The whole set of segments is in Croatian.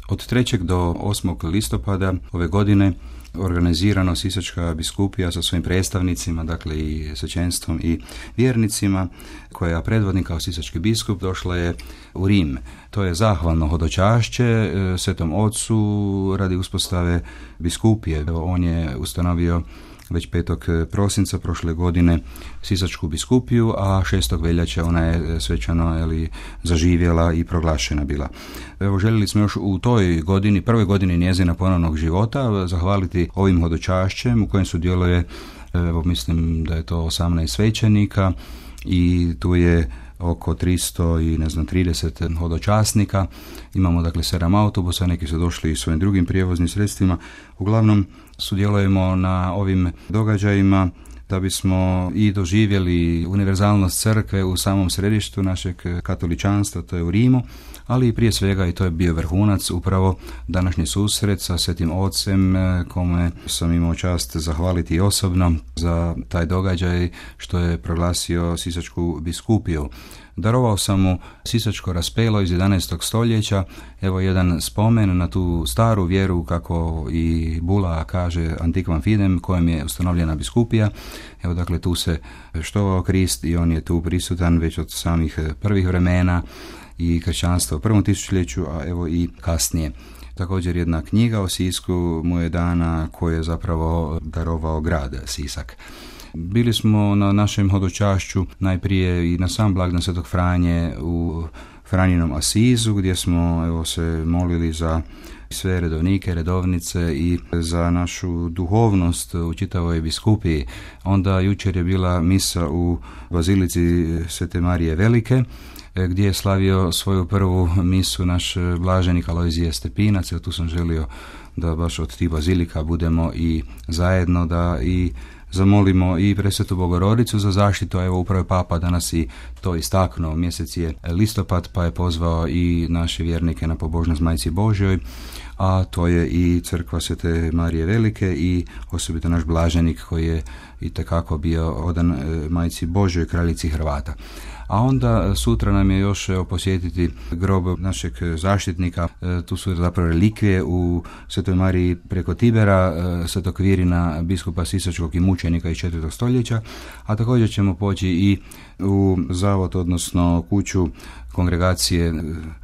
Od 3. do 8. listopada ove godine organizirano Sisačka biskupija sa svojim predstavnicima, dakle i svećenstvom i vjernicima, koja predvodni kao sisački biskup, došla je u Rim. To je zahvalno hodočašće Svetom Ocu radi uspostave biskupije. On je ustanovio već 5. prosinca prošle godine Sisačku biskupiju, a 6. veljače ona je svečano zaživjela i proglašena bila. Evo, željeli smo još u toj godini, prvoj godini njezina ponovnog života, zahvaliti ovim hodočašćem u kojem sudjeluje, evo, mislim da je to 18 svećenika i tu je oko 330 hodočasnika. Imamo dakle 7 autobusa, neki su došli i svojim drugim prijevoznim sredstvima. Uglavnom sudjelujemo na ovim događajima da bismo i doživjeli univerzalnost crkve u samom središtu našeg katoličanstva, to je u Rimu, ali i prije svega, i to je bio vrhunac, upravo današnji susret sa Svetim Ocem, kome sam imao čast zahvaliti osobno za taj događaj što je proglasio Sisačku biskupiju. Darovao sam mu sisačko raspelo iz 11. stoljeća, evo jedan spomen na tu staru vjeru, kako i Bula kaže Antiquam Fidem, kojem je ustanovljena biskupija. Evo, dakle, tu se štovao Krist i on je tu prisutan već od samih prvih vremena i kršćanstva u prvom tisućljeću, a evo i kasnije. Također jedna knjiga o Sisku mu je dana, koju je zapravo darovao grad Sisak. Bili smo na našem hodočašću najprije i na sam blagdan Svetog Franje u Franjinom Asizu, gdje smo se molili za sve redovnike, redovnice i za našu duhovnost u čitavoj biskupiji. Onda jučer je bila misa u Bazilici Svete Marije Velike, gdje je slavio svoju prvu misu naš blaženik Alojzije Stepinac. Tu sam želio da baš od tih bazilika budemo i zajedno, da i zamolimo i Presvetu Bogorodicu za zaštitu. Evo, upravo je Papa danas i to istaknuo. Mjesec je listopad, pa je pozvao i naše vjernike na pobožnost Majci Božjoj, a to je i crkva Svete Marije Velike i osobito naš blaženik koji je itekako bio odan Majci Božjoj, kraljici Hrvata. A onda sutra nam je još posjetiti grob našeg zaštitnika. Tu su zapravo relikvije u Svetoj Mariji preko Tibera, Svetog Kvirina, biskupa Sisačkog i mučenika iz 4. stoljeća, a također ćemo poći i u zavod, odnosno kuću kongregacije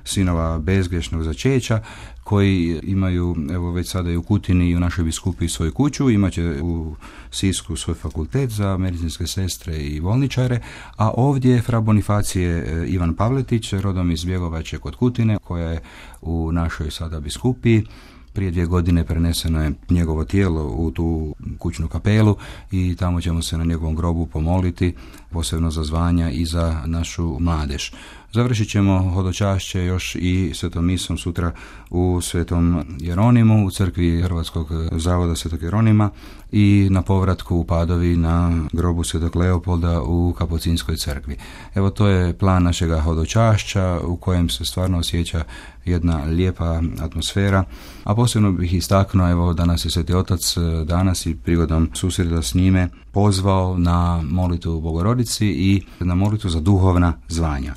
sinova bezgrešnog začeća, koji imaju, evo, već sada i u Kutini i u našoj biskupiji svoju kuću, imaće u Sisku svoj fakultet za medicinske sestre i bolničare, a ovdje fra Bonifacije Ivan Pavletić, rodom iz Bjegovače kod Kutine, koja je u našoj sada biskupiji. Prije 2 godine preneseno je njegovo tijelo u tu kućnu kapelu i tamo ćemo se na njegovom grobu pomoliti, posebno za zvanja i za našu mladež. Završit ćemo hodočašće još i svetom misom sutra u Svetom Jeronimu, u crkvi Hrvatskog zavoda Svetog Jeronima, i na povratku u Padovi na grobu Svetog Leopolda u Kapucinskoj crkvi. Evo, to je plan našega hodočašća u kojem se stvarno osjeća jedna lijepa atmosfera, a posebno bih istaknuo, evo, danas je Sveti Otac danas i prigodom susreta s njime pozvao na molitvu Bogorodici i na molitvu za duhovna zvanja.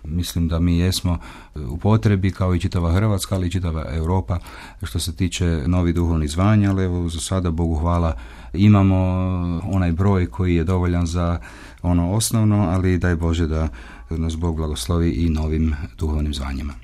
Mislim da mi jesmo u potrebi, kao i čitava Hrvatska, ali i čitava Europa, što se tiče novih duhovnih zvanja, ali evo, za sada, Bogu hvala, imamo onaj broj koji je dovoljan za ono osnovno, ali daj Bože da nas Bog blagoslovi i novim duhovnim zvanjima.